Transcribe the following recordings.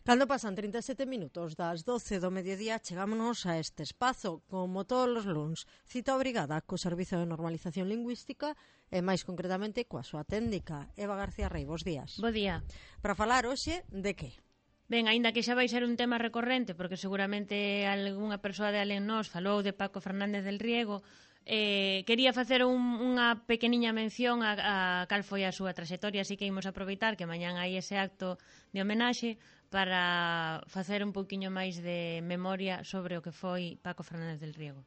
Cando pasan 37 minutos das 12 do mediodía, chegámonos a este espazo, como todos os luns, cita obrigada co Servizo de Normalización Lingüística e máis concretamente coa súa técnica. Eva García Rey, bos días. Bo día. Para falar hoxe de que? Ben, aínda que xa vai ser un tema recorrente, porque seguramente algunha persoa de alén nós falou de Paco Fernández del Riego, quería facer unha pequeniña mención a cal foi a súa traxectoria, así que imos aproveitar que mañán hai ese acto de homenaxe para facer un pouquiño máis de memoria sobre o que foi Paco Fernández del Riego.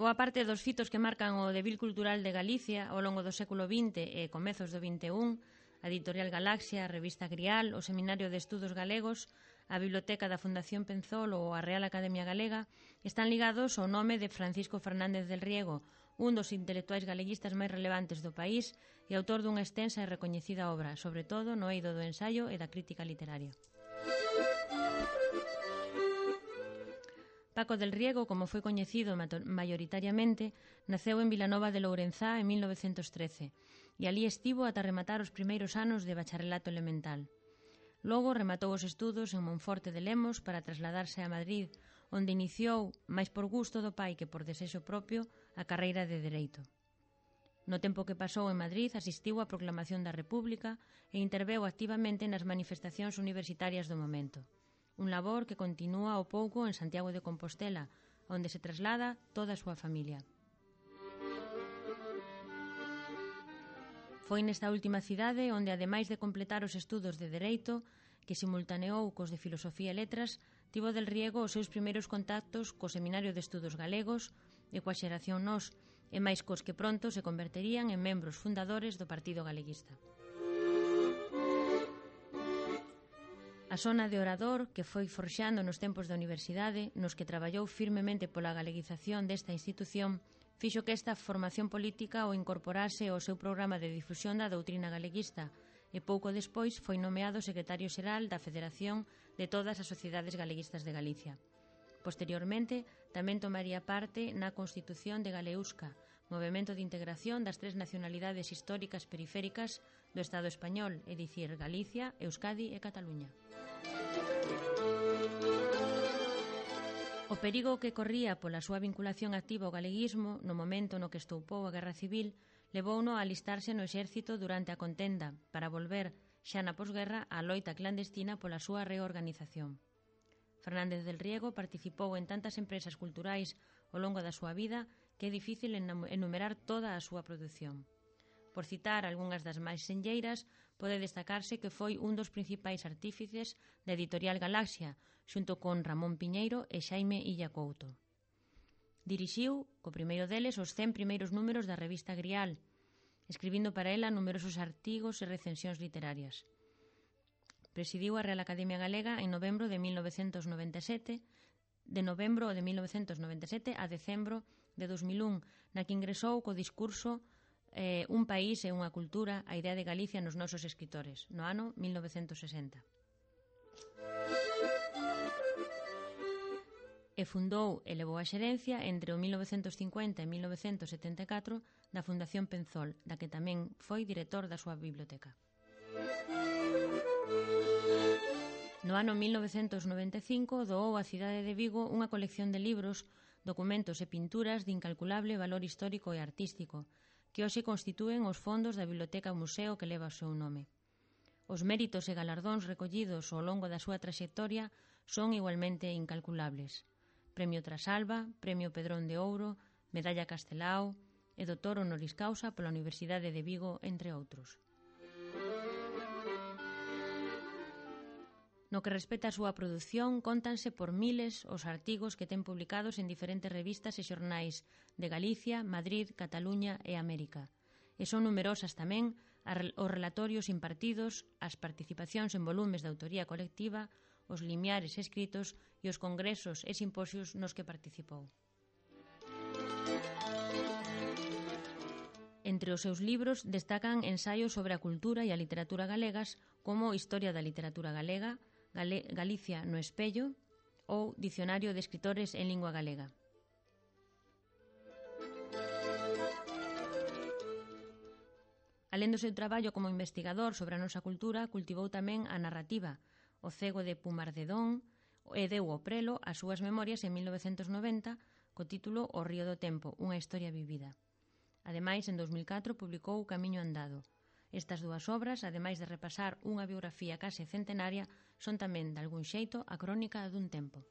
Boa parte dos fitos que marcan o devir cultural de Galicia ao longo do século XX e comezos do XXI, a Editorial Galaxia, a Revista Grial, o Seminario de Estudos Galegos, a Biblioteca da Fundación Penzol ou a Real Academia Galega, están ligados ao nome de Francisco Fernández del Riego, un dos intelectuais galeguistas máis relevantes do país e autor dunha extensa e recoñecida obra, sobre todo no eido do ensaio e da crítica literaria. Paco del Riego, como foi coñecido maioritariamente, naceu en Vilanova de Lourenzá en 1913 e alí estivo ata rematar os primeiros anos de bacharelato elemental. Logo rematou os estudos en Monforte de Lemos para trasladarse a Madrid, onde iniciou, máis por gusto do pai que por desexo propio, a carreira de Dereito. No tempo que pasou en Madrid asistiu á proclamación da República e interveu activamente nas manifestacións universitarias do momento. Un labor que continúa ao pouco en Santiago de Compostela, onde se traslada toda a súa familia. Foi nesta última cidade onde, ademais de completar os estudos de Dereito, que simultaneou cos de Filosofía e Letras, tivo del Riego os seus primeiros contactos co Seminario de Estudos Galegos e coa xeración Nós, e máis cos que pronto se converterían en membros fundadores do Partido Galeguista. A sona de orador que foi forxando nos tempos da universidade, nos que traballou firmemente pola galeguización desta institución, fixo que esta formación política o incorporase ao seu programa de difusión da doutrina galeguista e pouco despois foi nomeado secretario xeral da Federación de todas as sociedades galeguistas de Galicia. Posteriormente, tamén tomaría parte na Constitución de Galeusca, movemento de integración das tres nacionalidades históricas periféricas do Estado español, é dicir, Galicia, Euskadi e Cataluña. O perigo que corría pola súa vinculación activa ao galeguismo no momento no que estoupou a Guerra Civil levouno a alistarse no exército durante a contenda para volver, xa na posguerra, á loita clandestina pola súa reorganización. Fernández del Riego participou en tantas empresas culturais ao longo da súa vida que é difícil enumerar toda a súa produción. Por citar algunhas das máis senlleiras, pode destacarse que foi un dos principais artífices da Editorial Galaxia, xunto con Ramón Piñeiro e Xaime Illa Couto. Dirixiu, co primeiro deles, os 100 primeiros números da revista Grial, escribindo para ela numerosos artigos e recensións literarias. Presidiu a Real Academia Galega en novembro de 1997, de novembro de 1997 a decembro de 2001, na que ingresou co discurso Un país e unha cultura, a idea de Galicia nos nosos escritores, no ano 1960. E fundou e levou a xerencia entre o 1950 e 1974 da Fundación Penzol, da que tamén foi director da súa biblioteca. No ano 1995 doou á cidade de Vigo unha colección de libros, documentos e pinturas de incalculable valor histórico e artístico, que hoxe constitúen os fondos da Biblioteca Museo que leva o seu nome. Os méritos e galardóns recollidos ao longo da súa traxectoria son igualmente incalculables. Premio Trasalba, Premio Pedrón de Ouro, Medalla Castelao e Doutor Honoris Causa pola Universidade de Vigo, entre outros. No que respecta a súa produción, cóntanse por miles os artigos que ten publicados en diferentes revistas e xornais de Galicia, Madrid, Cataluña e América. E son numerosas tamén os relatorios impartidos, as participacións en volumes de autoría colectiva, os limiares escritos e os congresos e simposios nos que participou. Entre os seus libros destacan ensaios sobre a cultura e a literatura galegas como Historia da literatura galega, Galicia no espello ou Dicionario de escritores en lingua galega. Alén do seu traballo como investigador sobre a nosa cultura, cultivou tamén a narrativa. O cego de Pumardedón e deu ao prelo as súas memorias en 1990 co título O río do tempo, unha historia vivida. Ademais, en 2004 publicou O camiño andado. Estas dúas obras, ademais de repasar unha biografía case centenaria, son tamén, de algún xeito, a crónica dun tempo.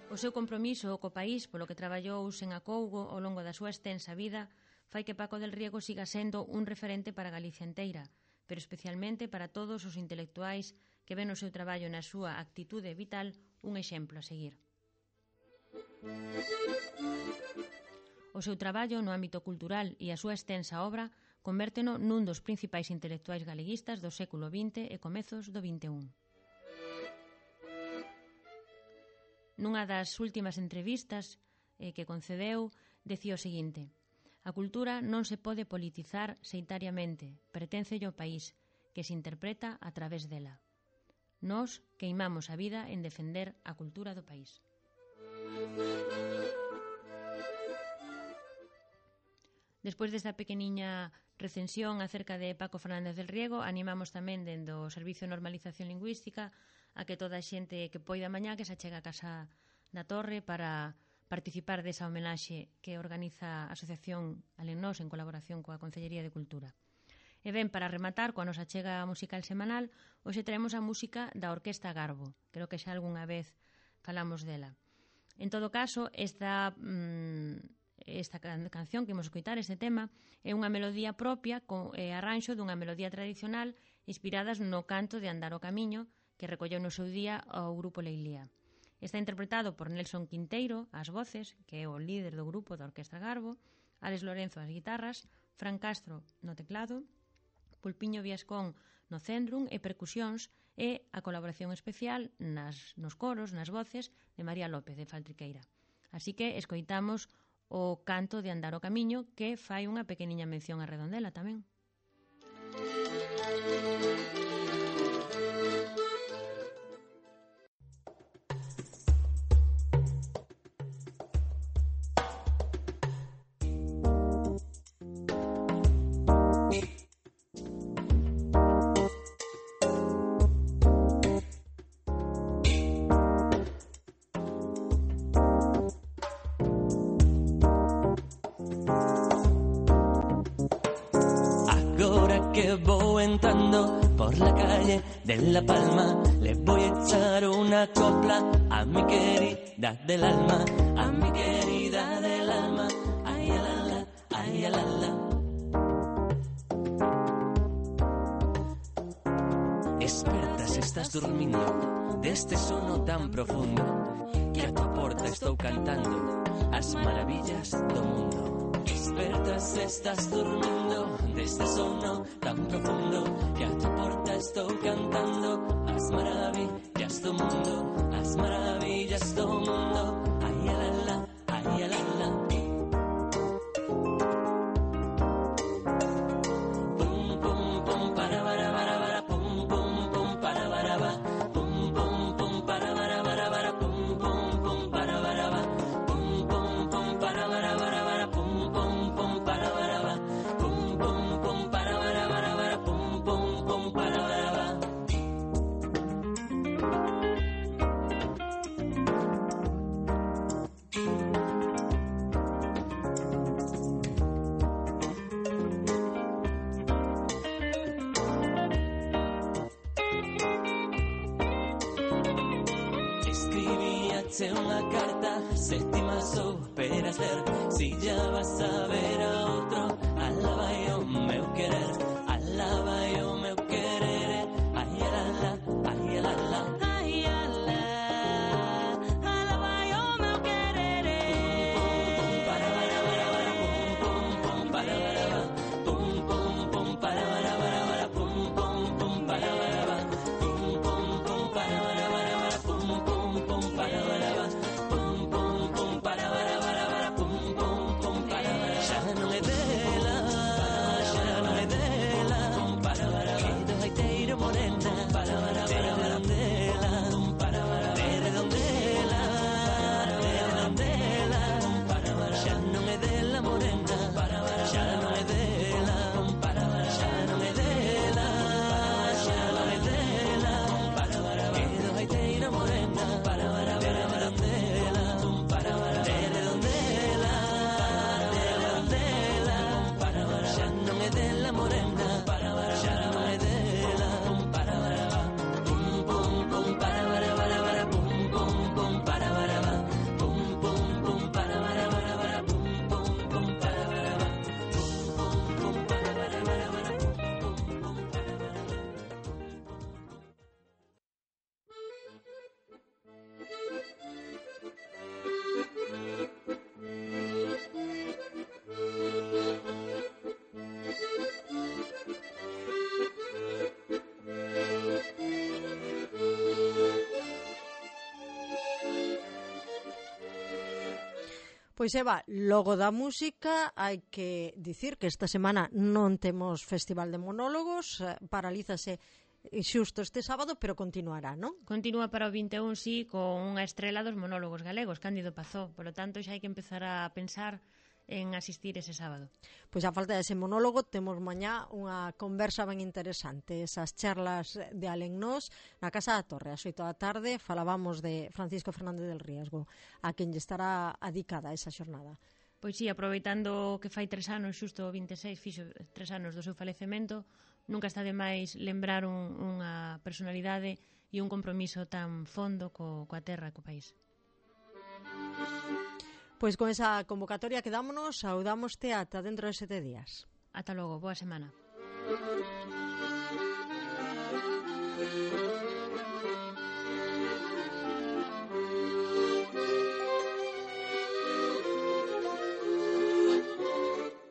O seu compromiso co país, polo que traballou sen acougo ao longo da súa extensa vida, fai que Paco del Riego siga sendo un referente para Galicia inteira, pero especialmente para todos os intelectuais que ven o seu traballo na súa actitude vital un exemplo a seguir. O seu traballo no ámbito cultural e a súa extensa obra convérteno nun dos principais intelectuais galeguistas do século XX e comezos do XXI. Nunha das últimas entrevistas que concedeu, decía o seguinte: a cultura non se pode politizar seitariamente, perténcelle ao país, que se interpreta a través dela. Nós queimamos a vida en defender a cultura do país. Despois desta pequeniña recensión acerca de Paco Fernández del Riego, animamos tamén dende o Servicio de Normalización Lingüística a que toda a xente que poida mañá que se achega a Casa da Torre para participar desa homenaxe que organiza a Asociación Alenós en colaboración coa Concellería de Cultura. E ben, para rematar coa nosa chega musical semanal, hoxe traemos a música da Orquesta Garbo. Creo que xa algunha vez falamos dela. En todo caso, esta canción que imos escoitar, este tema, é unha melodía propia e arranxo dunha melodía tradicional inspiradas no canto de Andar o Camiño que recolleu no seu día o grupo Leilía. Está interpretado por Nelson Quinteiro ás voces, que é o líder do grupo da Orquesta Garbo, Alex Lorenzo ás guitarras, Fran Castro no teclado, Pulpiño Viascón no centrum e percusións e a colaboración especial nos coros, nas voces de María López de Faltriqueira. Así que escoitamos o canto de Andar o Camiño que fai unha pequeniña mención a Redondela tamén. Que voy entrando por la calle de La Palma, le voy a echar una copla a mi querida del alma, a mi querida del alma, ay alala, ay alala. Esperta si estás durmiendo de este sono tan profundo, que a tu porta estou cantando as maravillas do mundo. Despertas, estás durmiendo de este sono tan profundo, que a tu porta estou cantando as maravillas do mundo, as maravillas do mundo, ay alala, ay alala. Pum pum pum para para para pum pum pum para para pum pum pum para para pum pum pum para para pum pum pum para para pum pum pum para para pum pum pum para para pum pum pum para para. Escribíache unha carta, se ti más esperas ler, si ya vas a ver a outro, alá vai o meu querer, alá vai o meu querer, ay alala, ay alala, ay alala, alá vai o meu querer. Pum pum pum para para pum pum pum para para pum pum pum para para pum pum pum para para pum pum pum para para pum pum pum para para pum pum Pois Eva, logo da música hai que dicir que esta semana non temos Festival de Monólogos, paralízase xusto este sábado, pero continuará, non? Continúa para o 21, sí, con unha estrela dos monólogos galegos, Cándido Pazó. Por lo tanto, xa hai que empezar a pensar en asistir ese sábado. Pois a falta dese monólogo temos mañá unha conversa ben interesante, esas charlas de Alengnós na Casa da Torre, ás 8 da tarde falábamos de Francisco Fernández del Riesgo, a quen lle estará adicada esa xornada. Pois sí, aproveitando que fai 3 anos, xusto o 26, fixo 3 anos do seu falecemento, nunca está de máis lembrar unha personalidade e un compromiso tan fondo coa terra e co país. Pois con esa convocatoria quedámonos, saudámoste ata dentro de 7 días. Ata logo, boa semana.